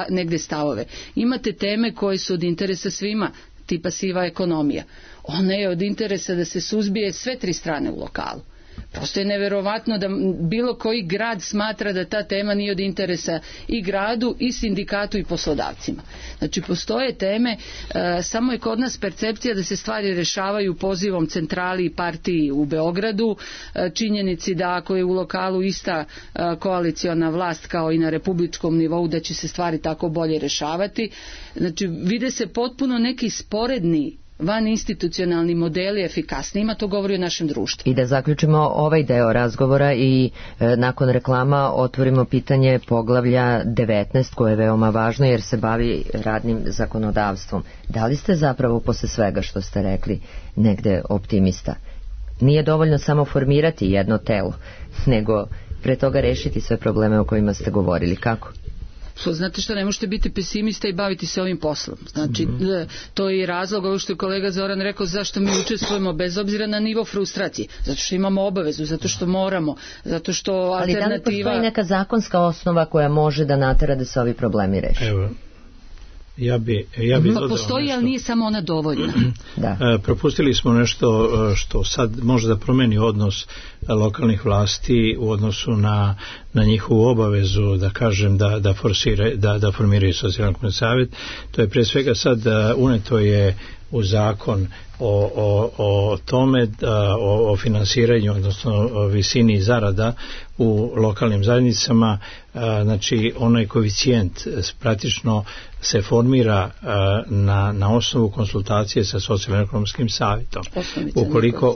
negdje stavove. Imate teme koje su od interesa svima, tipa siva ekonomija. Ona je od interesa da se suzbije sve tri strane u lokalu. Prosto je neverovatno da bilo koji grad smatra da ta tema nije od interesa i gradu i sindikatu i poslodavcima. Znači postoje teme, samo je kod nas percepcija da se stvari rešavaju pozivom centrali i partiji u Beogradu, činjenici da ako je u lokalu ista koaliciona vlast kao i na republičkom nivou da će se stvari tako bolje rešavati. Znači vide se potpuno neki sporedni van institucionalni modeli efikasnijima, to govori o našem društvu. I da zaključimo ovaj deo razgovora i nakon reklama otvorimo pitanje poglavlja 19 koje je veoma važno jer se bavi radnim zakonodavstvom. Da li ste zapravo posle svega što ste rekli negde optimista? Nije dovoljno samo formirati jedno telo, nego pre toga rešiti sve probleme o kojima ste govorili. Kako? Znate što, ne možete biti pesimista i baviti se ovim poslom. Znači, to je i razlog, ovo što je kolega Zoran rekao, zašto mi učestvujemo bez obzira na nivo frustracije. Zato što imamo obavezu, zato što moramo, zato što alternativa... Ali da li postoji neka zakonska osnova koja može da natera da se ovi problemi reši? Evo, ja bi pa postoji, nešto. Ali nije samo ona dovoljna. Da. Propustili smo nešto što sad može da promeni odnos lokalnih vlasti u odnosu na njihovu obavezu, da kažem, da formiraju socijalni savjet. To je pre svega sad uneto je u zakon o tome, o finansiranju, odnosno o visini zarada u lokalnim zajednicama. Znači onaj koeficijent praktično se formira na osnovu konsultacije sa socijalno-ekonomskim savjetom.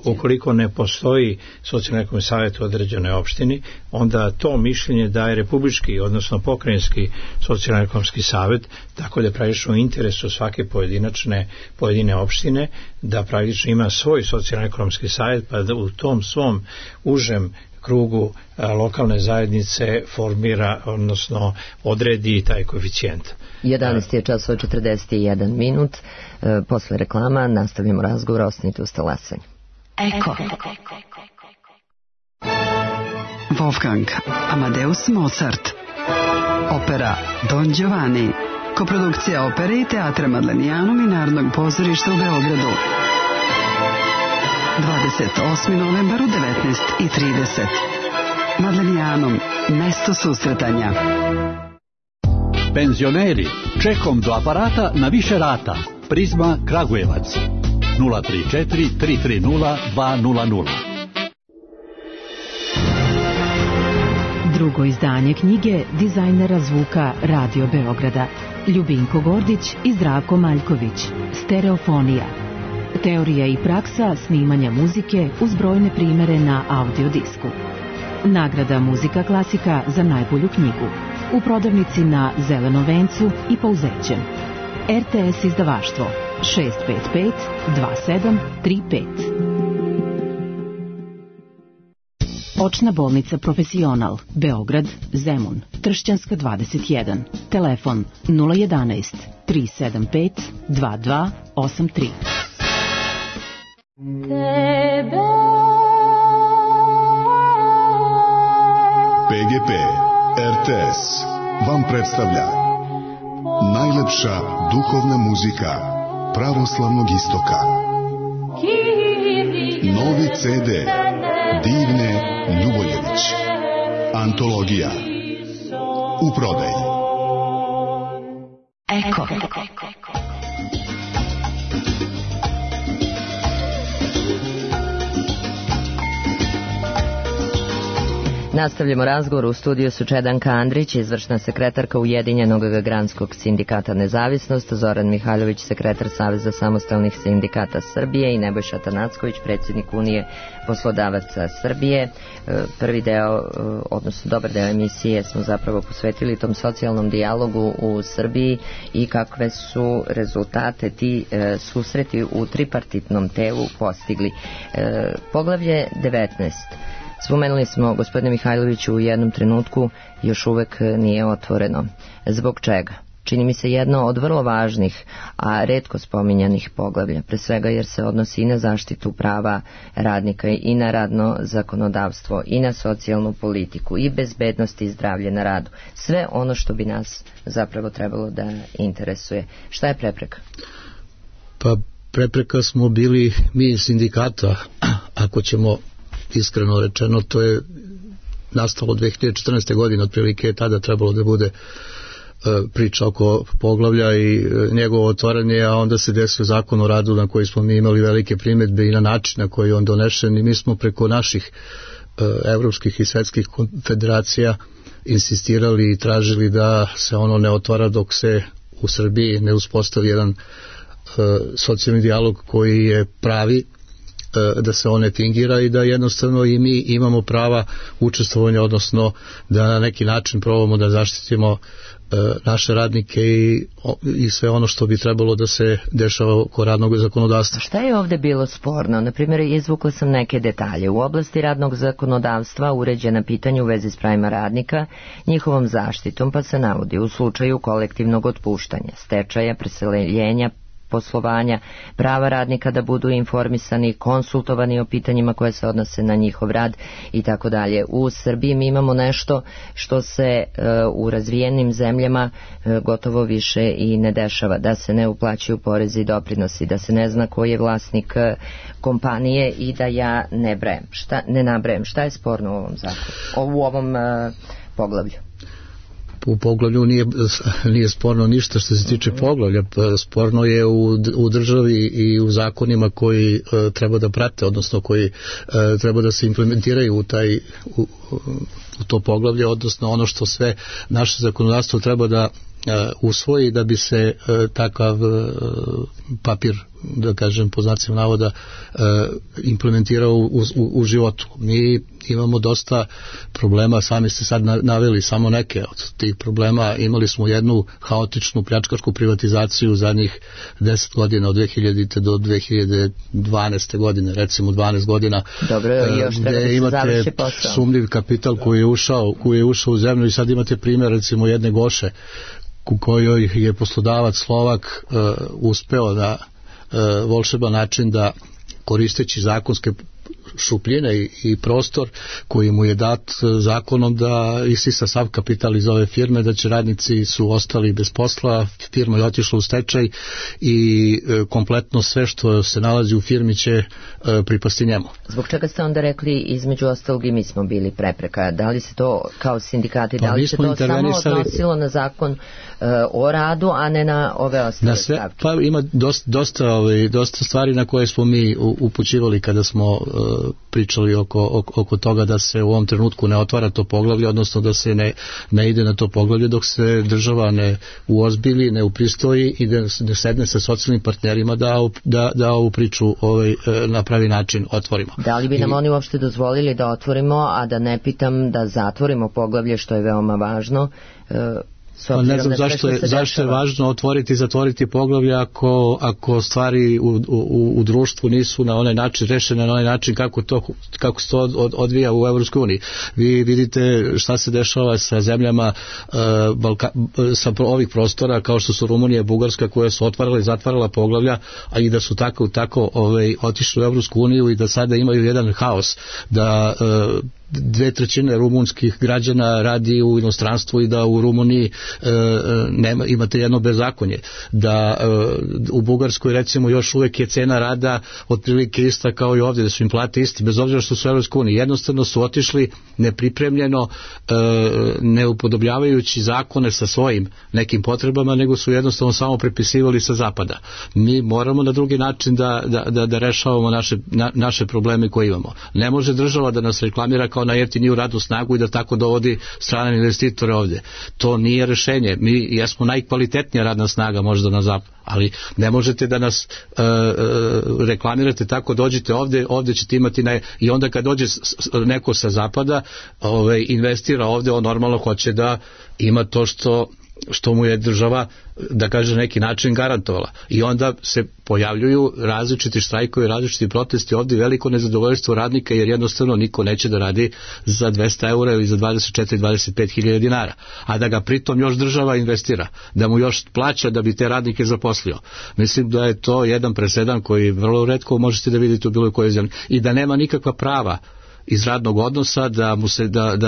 Ukoliko ne postoji socijalno-ekonomski savjet u određenoj opštini, onda to mišljenje daje republički, odnosno pokrajinski socijalno-ekonomski savjet, tako da praktično u interesu svake pojedine opštine da praktično ima svoj socijalno-ekonomski savjet, pa da u tom svom užem krugu lokalne zajednice formira, odnosno odredi taj koeficijent. 11 je časova 41 minut. Posle reklama nastavljamo razgovor, ostanite uz talasanju. Eko. Wolfgang Amadeus Mozart. Opera Don Giovanni. Koprodukcija opere i teatra Madlenijanum i Narodnog pozorišta u Beogradu. 28. novembar u 19:30. Madlenijanum, mesto susretanja. Penzioneri, čekom do aparata na više rata. Prizma Kragujevac 034 330 200. Drugo izdanje knjige dizajnera zvuka Radio Beograda Ljubinko Gordić i Zdravko Maljković. Stereofonija. Teorija i praksa snimanja muzike uz brojne primere na audiodisku. Nagrada Muzika klasika za najbolju knjigu. U prodavnici na Zelenom vencu i Pauzećem. RTS izdavaštvo 655 2735. Očna bolnica Profesional, Beograd, Zemun, Tršćanska 21. Telefon 011 375 2283. PGP RTS vam predstavlja najlepša duhovna muzika pravoslavnog istoka. Novi CD Divne Ljuboljević. Antologija. U prodaji. Eko. Nastavljamo razgovor. U studiju su Čedanka Andrić, izvršna sekretarka Ujedinjenog granskog sindikata Nezavisnost, Zoran Mihajlović, sekretar Saveza samostalnih sindikata Srbije i Nebojša Tanacković, predsjednik Unije poslodavaca Srbije. Prvi deo, odnosno dobar deo emisije smo zapravo posvetili tom socijalnom dijalogu u Srbiji i kakve su rezultate ti susreti u tripartitnom telu postigli. Poglavlje 19. Spomenuli smo, gospodine Mihajloviću, u jednom trenutku još uvek nije otvoreno. Zbog čega? Čini mi se jedno od vrlo važnih, a retko spominjanih poglavlja, pre svega jer se odnosi i na zaštitu prava radnika i na radno zakonodavstvo i na socijalnu politiku i bezbednost i zdravlje na radu. Sve ono što bi nas zapravo trebalo da interesuje. Šta je prepreka? Pa prepreka smo bili mi iz sindikata, ako ćemo iskreno rečeno, to je nastalo 2014. godine, otprilike je tada trebalo da bude priča oko poglavlja i njegovo otvaranje, a onda se desio zakon o radu na koji smo mi imali velike primjedbe i na način na koji je on donešen, i mi smo preko naših evropskih i svetskih konfederacija insistirali i tražili da se ono ne otvara dok se u Srbiji ne uspostavi jedan socijalni dijalog koji je pravi, da se on ne fingira i da jednostavno i mi imamo prava učestvovanja, odnosno da na neki način probamo da zaštitimo naše radnike i sve ono što bi trebalo da se dešava oko radnog zakonodavstva. Šta je ovde bilo sporno? Naprimjer, izvukla sam neke detalje. U oblasti radnog zakonodavstva uređena pitanja u vezi s pravima radnika, njihovom zaštitom, pa se navodi u slučaju kolektivnog otpuštanja, stečaja, preseljenja, poslovanja, prava radnika da budu informisani, konsultovani o pitanjima koje se odnose na njihov rad i tako dalje. U Srbiji mi imamo nešto što se u razvijenim zemljama gotovo više i ne dešava, da se ne uplaćuju porezi i doprinosi, da se ne zna ko je vlasnik kompanije i da ja ne nabrajem. Šta je sporno u ovom zakonu, u ovom poglavlju? U poglavlju nije sporno ništa što se tiče poglavlja. Sporno je u državi i u zakonima koji treba da prate, odnosno koji treba da se implementiraju u to poglavlje, odnosno ono što sve naše zakonodavstvo treba da usvoji da bi se takav papir, da kažem po znacima navoda, implementirao u životu. Mi imamo dosta problema, sami ste sad naveli samo neke od tih problema. Imali smo jednu haotičnu pljačkašku privatizaciju u zadnjih 10 godina, od 2000. do 2012. godine, recimo 12 godina. Dobro, još treba da se završi posao. Sumnjiv kapital koji je ušao u zemlju, i sad imate primjer recimo jedne Goše u kojoj je poslodavac Slovak uspeo na volšeban način da, koristeći zakonske šupljine i prostor koji mu je dat zakonom, da isisa sav kapital iz ove firme, da će radnici su ostali bez posla, firma je otišla u stečaj i kompletno sve što se nalazi u firmi će pripasti njemu. Zbog čega ste onda rekli između ostalog i mi smo bili prepreka? Da li se to kao sindikati, da li se to samo odnosilo na zakon o radu, a ne na ove ostale stavke? Pa ima dosta stvari na koje smo mi upućivali kada smo pričali oko toga da se u ovom trenutku ne otvara to poglavlje, odnosno da se ne ide na to poglavlje dok se država ne uozbilji, ne upristoji i da ne sedne sa socijalnim partnerima da ovu priču na pravi način otvorimo. Da li bi nam oni uopšte dozvolili da otvorimo, a da ne pitam da zatvorimo poglavlje, što je veoma važno? Ne znam zašto je važno otvoriti i zatvoriti poglavlje ako stvari u društvu nisu na onaj način rešene, na onaj način kako se to odvija u Evropskoj uniji. Vi vidite šta se dešava sa zemljama sa ovih prostora kao što su Rumunija i Bugarska, koje su otvarala i zatvarala poglavlja, a i da su tako otišli u Evropsku uniju i da sada imaju jedan haos, da 2/3 rumunskih građana radi u inostranstvu i da u Rumuniji imate jedno bezakonje, da u Bugarskoj recimo još uvek je cena rada otprilike ista kao i ovdje, da su im plate isti bez obzira što su u Evropskoj uniji. Jednostavno su otišli nepripremljeno, ne upodobljavajući zakone sa svojim nekim potrebama, nego su jednostavno samo prepisivali sa zapada. Mi moramo na drugi način da rešavamo naše probleme koje imamo. Ne može država da nas reklamira kao na jeftiniju radnu snagu i da tako dovodi strane investitore ovdje. To nije rešenje. Mi jesmo najkvalitetnija radna snaga možda na zapadu, ali ne možete da nas reklamirate tako, dođite ovdje ćete imati i onda kad dođe neko sa zapada investira ovdje, on normalno hoće da ima to što mu je država, da kaže, neki način garantovala. I onda se pojavljuju različiti štrajkovi, različiti protesti, ovdje veliko nezadovoljstvo radnika jer jednostavno niko neće da radi za 200 eura ili za 24-25 hiljada dinara, a da ga pritom još država investira, da mu još plaća da bi te radnike zaposlio. Mislim da je to jedan presedan koji vrlo retko možete da vidite u bilo kojoj zemlji i da nema nikakva prava iz radnog odnosa, da mu se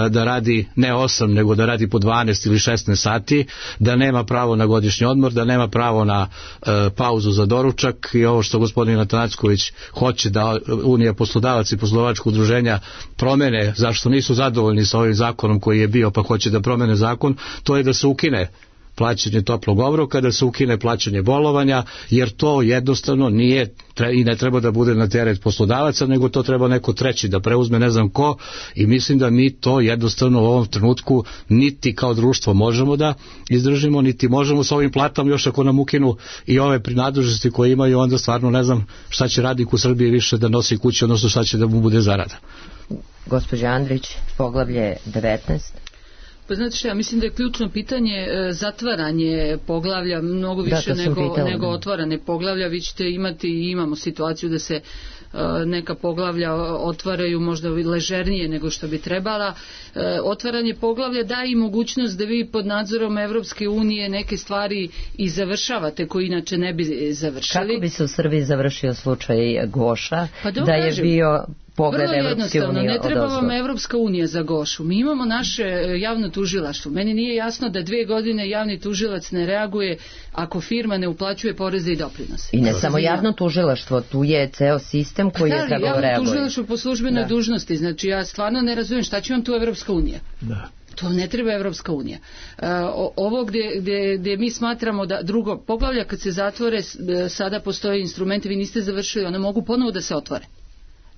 da radi ne 8 nego da radi po 12 ili 16 sati, da nema pravo na godišnji odmor, da nema pravo na pauzu za doručak i ovo što gospodin Atanacković hoće da Unija poslodavaca i poslovačkog udruženja promene, zašto nisu zadovoljni sa ovim zakonom koji je bio pa hoće da promene zakon, to je da se ukine plaćanje toplog obroka, da se ukine plaćanje bolovanja, jer to jednostavno nije i ne treba da bude na teret poslodavaca, nego to treba neko treći da preuzme, ne znam ko, i mislim da mi to jednostavno u ovom trenutku niti kao društvo možemo da izdržimo, niti možemo sa ovim platama, još ako nam ukinu i ove prinadležnosti koje imaju, onda stvarno ne znam šta će radnik u Srbiji više da nosi kući, odnosno šta će da mu bude zarada. Gospođa Andrić, poglavlje 19. Pa znate što, ja mislim da je ključno pitanje zatvaranje poglavlja mnogo više nego otvarane poglavlja. Vi ćete imati i imamo situaciju da se neka poglavlja otvaraju možda ležernije nego što bi trebala. Otvaranje poglavlja daje i mogućnost da vi pod nadzorom Evropske unije neke stvari i završavate koje inače ne bi završili. Kako bi se u Srbiji završio slučaj Goša, da je bio pogled Evropske unije? Ne treba vam Evropska unija za Gošu. Mi imamo naše javno tužilaštvo. Meni nije jasno da 2 godine javni tužilac ne reaguje ako firma ne uplaćuje poreze i doprinose. I ne samo javno tužilaštvo, tu je ceo sistem koji je trebao reaguje. Javno tužilaštvo po službenoj dužnosti. Znači ja stvarno ne razumijem šta će vam tu Evropska unija. Da. To ne treba Evropska unija. Ovo gdje mi smatramo da drugo poglavlja kad se zatvore, sada postoje instrumenti, vi niste završili, one mogu ponovo da se otvore.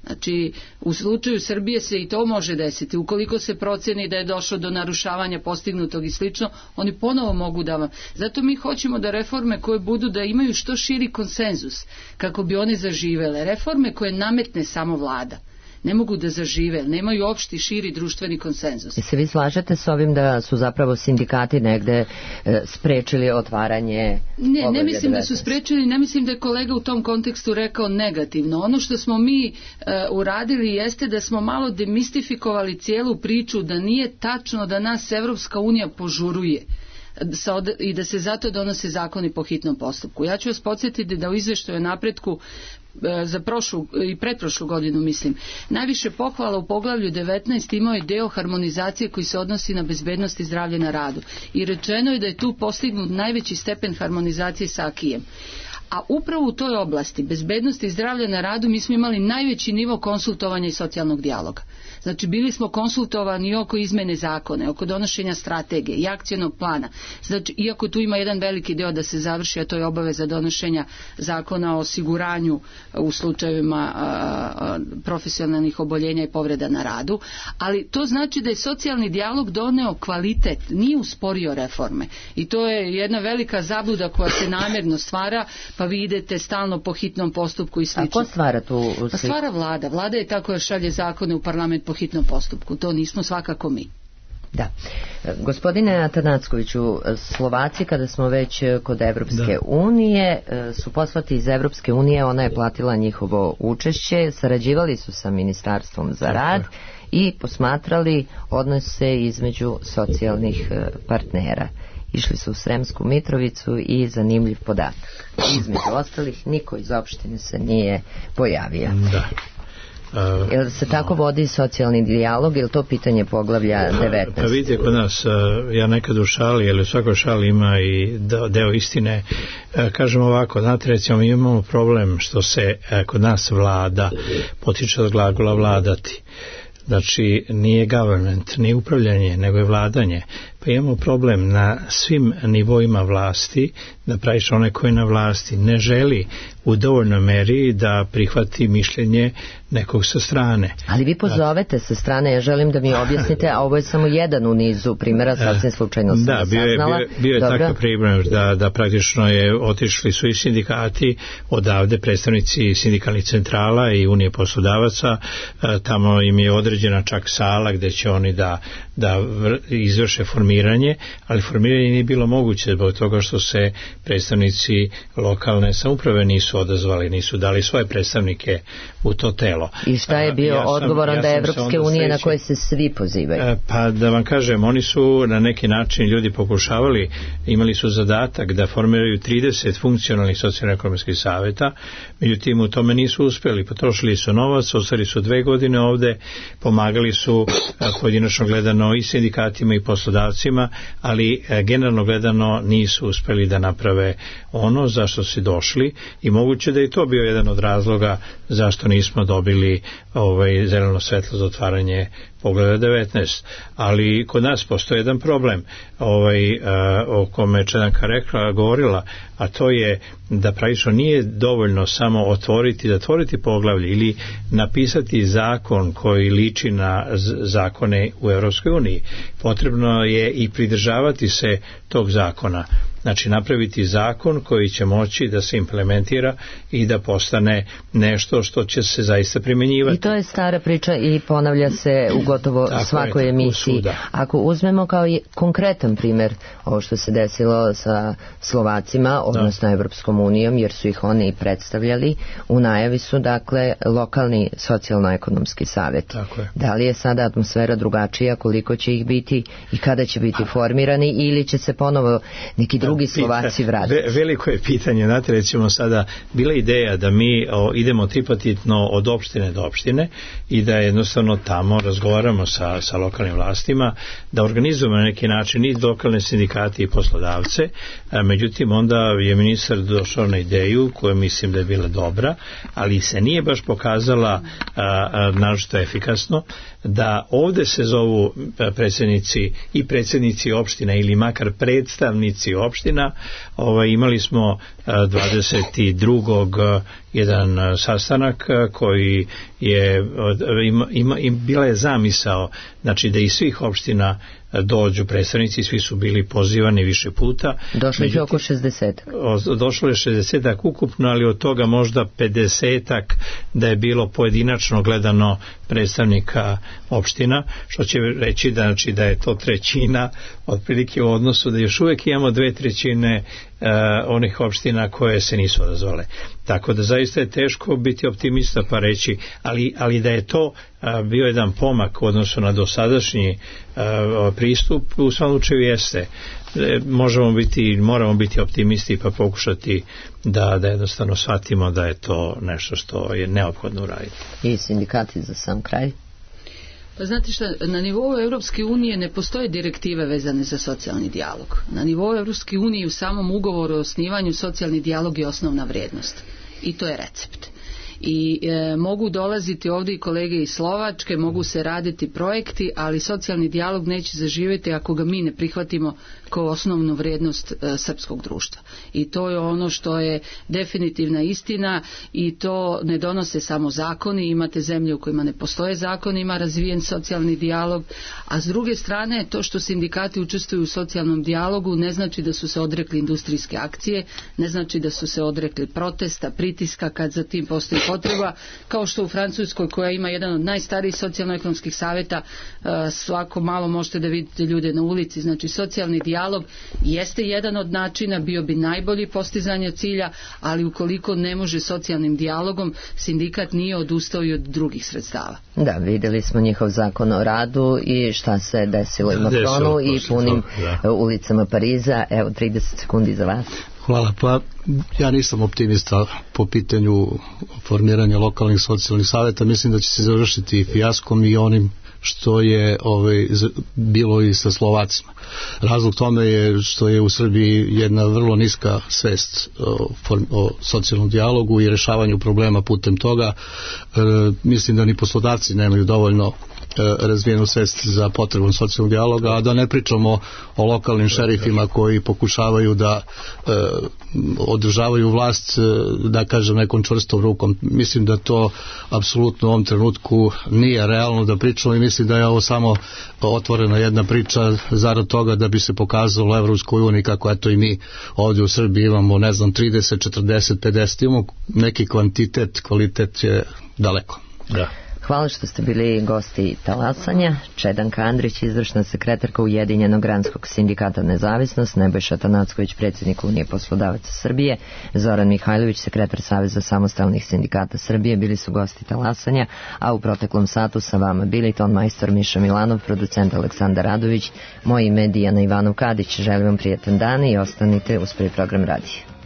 Znači, u slučaju Srbije se i to može desiti. Ukoliko se proceni da je došlo do narušavanja postignutog i slično, oni ponovo mogu da vam... Zato mi hoćemo da reforme koje budu da imaju što širi konsenzus, kako bi one zaživele. Reforme koje nametne samo vlada ne mogu da zažive, nemaju opšti širi društveni konsenzus. I se vi slažete s ovim da su zapravo sindikati negde sprečili otvaranje? Ne mislim da su sprečili, ne mislim da je kolega u tom kontekstu rekao negativno. Ono što smo mi uradili jeste da smo malo demistifikovali cijelu priču, da nije tačno da nas Evropska unija požuruje i da se zato donose zakoni po hitnom postupku. Ja ću vas podsjetiti da u izveštaju o napretku za prošlu i pretprošlu godinu, mislim, najviše pohvala u poglavlju 19 imao je deo harmonizacije koji se odnosi na bezbednost i zdravlje na radu. I rečeno je da je tu postignut najveći stepen harmonizacije sa AKI-em. A upravo u toj oblasti bezbednosti i zdravlja na radu mi smo imali najveći nivo konsultovanja i socijalnog dijaloga. Znači bili smo konsultovani oko izmene zakone, oko donošenja strategije i akcionog plana. Znači iako tu ima jedan veliki deo da se završi, a to je obaveza donošenja zakona o osiguranju u slučajevima profesionalnih oboljenja i povreda na radu, ali to znači da je socijalni dijalog doneo kvalitet, nije usporio reforme. I to je jedna velika zabluda koja se namjerno stvara, pa vi idete stalno po hitnom postupku i slično. A ko stvara tu? Pa stvara vlada. Vlada je tako da šalje zakone u parlament po hitnom postupku. To nismo svakako mi. Da. Gospodine Atanackoviću, Slovaci, kada smo već kod Evropske unije, su poslati iz Evropske unije, ona je platila njihovo učešće, sarađivali su sa Ministarstvom za rad i posmatrali odnose između socijalnih partnera. Išli su u Sremsku Mitrovicu i zanimljiv podatak. Između ostalih, niko iz opštine se nije pojavio. Da. Jel se tako vodi socijalni dijalog ili to pitanje poglavlja 19? Pa vidite kod nas, ja nekad u šali, ali u svakoj šali ima i deo istine. Kažem ovako, znate, recimo mi imamo problem što se kod nas vlada potiče od glagola vladati. Znači nije government, nije upravljanje, nego je vladanje. Pa imamo problem na svim nivoima vlasti, da praviš onaj koji na vlasti ne želi u dovoljnoj meri da prihvati mišljenje nekog sa strane. Ali vi pozovete sa strane, ja želim da mi objasnite, a ovo je samo jedan u nizu primjera, sasvim slučajno sam saznala. Bio je takav primjer da praktično je otišli su i sindikati odavde, predstavnici sindikalnih centrala i Unije poslodavaca, tamo im je određena čak sala gdje će oni da izvrše formiranje formiranje, ali formiranje nije bilo moguće zbog toga što se predstavnici lokalne samouprave nisu odazvali, nisu dali svoje predstavnike u to telo. I šta je bio odgovor onda Evropske unije na koje se svi pozivaju? Pa da vam kažem, oni su na neki način ljudi pokušavali, imali su zadatak da formiraju 30 funkcionalnih socijalno-ekonomskih saveta, međutim u tome nisu uspjeli, potrošili su novac, ostali su 2 godine ovde, pomagali su pojedinačno gledano i sindikatima i poslodavcima, ali generalno gledano nisu uspjeli da naprave ono zašto su došli i moguće da je to bio jedan od razloga zašto nismo dobili zeleno svetlo za otvaranje Poglavlja 19. Ali kod nas postoji jedan problem o kome je Čedanka govorila, a to je da praktično nije dovoljno samo zatvoriti poglavlje ili napisati zakon koji liči na zakone u Europskoj uniji. Potrebno je i pridržavati se tog zakona. Znači napraviti zakon koji će moći da se implementira i da postane nešto što će se zaista primjenjivati. I to je stara priča i ponavlja se u gotovo svakoj emisiji. Ako uzmemo kao konkretan primjer ovo što se desilo sa Slovacima, odnosno Evropskom unijom, jer su ih oni predstavljali, u najavi su dakle lokalni socijalno-ekonomski savjet. Da li je sada atmosfera drugačija, koliko će ih biti i kada će biti formirani ili će se ponovo neki drugi Slovaci vratiti? Veliko je pitanje, znate, recimo sada bila ideja da mi idemo tripartitno od opštine do opštine i da jednostavno tamo razgovaramo sa lokalnim vlastima, da organizujemo na neki način i lokalne sindikate i poslodavce, međutim onda je ministar došao na ideju koja mislim da je bila dobra, ali se nije baš pokazala naročito efikasno, da ovde se zovu predsjednici opština ili makar predstavnici opština. Imali smo 22. jedan sastanak koji je bila je zamisao, znači da iz svih opština dođu predstavnici, svi su bili pozivani više puta. Došlo je oko 60. Došlo je 60 ukupno, ali od toga možda 50 da je bilo pojedinačno gledano predstavnika opština, što će reći da je to trećina otprilike u odnosu da još uvijek imamo 2/3 onih opština koje se nisu odazvale. Tako da zaista je teško biti optimista pa reći, ali da je to bio jedan pomak u odnosu na dosadašnji pristup, u svakom slučaju jeste. Moramo biti optimisti pa pokušati da jednostavno shvatimo da je to nešto što je neophodno uraditi. I sindikati za sam kraj? Pa znate šta, na nivou Europske unije ne postoje direktive vezane za socijalni dijalog. Na nivou Europske unije u samom ugovoru o osnivanju socijalni dijalog je osnovna vrijednost. I to je recept. I mogu dolaziti ovdje i kolege iz Slovačke, mogu se raditi projekti, ali socijalni dijalog neće zaživjeti ako ga mi ne prihvatimo kao osnovnu vrijednost srpskog društva. I to je ono što je definitivna istina i to ne donose samo zakoni, imate zemlje u kojima ne postoje zakoni, ima razvijen socijalni dijalog, a s druge strane to što sindikati učestvuju u socijalnom dijalogu ne znači da su se odrekli industrijske akcije, ne znači da su se odrekli protesta, pritiska kad za tim postoji potreba, kao što u Francuskoj koja ima jedan od najstarijih socijalno-ekonomskih savjeta, svako malo možete da vidite ljude na ulici. Znači socijalni dijalog jeste jedan od načina, bio bi najbolji postizanja cilja, ali ukoliko ne može socijalnim dijalogom, sindikat nije odustao i od drugih sredstava. Da, vidjeli smo njihov zakon o radu i šta se desilo u Macronu i punim ulicama Pariza. Evo 30 sekundi za vas. Hvala, pa ja nisam optimista po pitanju formiranja lokalnih socijalnih savjeta, mislim da će se završiti fijaskom i onim što je bilo i sa Slovacima. Razlog tome je što je u Srbiji jedna vrlo niska svest o socijalnom dijalogu i rešavanju problema putem toga. Mislim da ni poslodavci nemaju dovoljno razvijenu svest za potrebu socijalnog dijaloga, a da ne pričamo o lokalnim šerifima koji pokušavaju da održavaju vlast, da kažem, nekom čvrstom rukom. Mislim da to apsolutno u ovom trenutku nije realno da pričamo i mislim da je ovo samo otvorena jedna priča zarad toga da bi se pokazalo Evropskoj uniji kako eto i mi ovdje u Srbiji imamo 30, 40, 50, imamo neki kvantitet, kvalitet je daleko. Da. Hvala što ste bili gosti talasanja. Čedanka Andrić, izvršna sekretarka Ujedinjenog granskog sindikata Nezavisnost, Nebojša Tanacković, predsjednik Unije poslodavaca Srbije, Zoran Mihajlović, sekretar Saveza samostalnih sindikata Srbije, bili su gosti talasanja, a u proteklom satu sa vama bili ton majstor Miša Milanov, producent Aleksandar Radović, moje ime Dijana Ivanov Kadić. Želim vam prijatan dan i ostanite uz prvi program radija.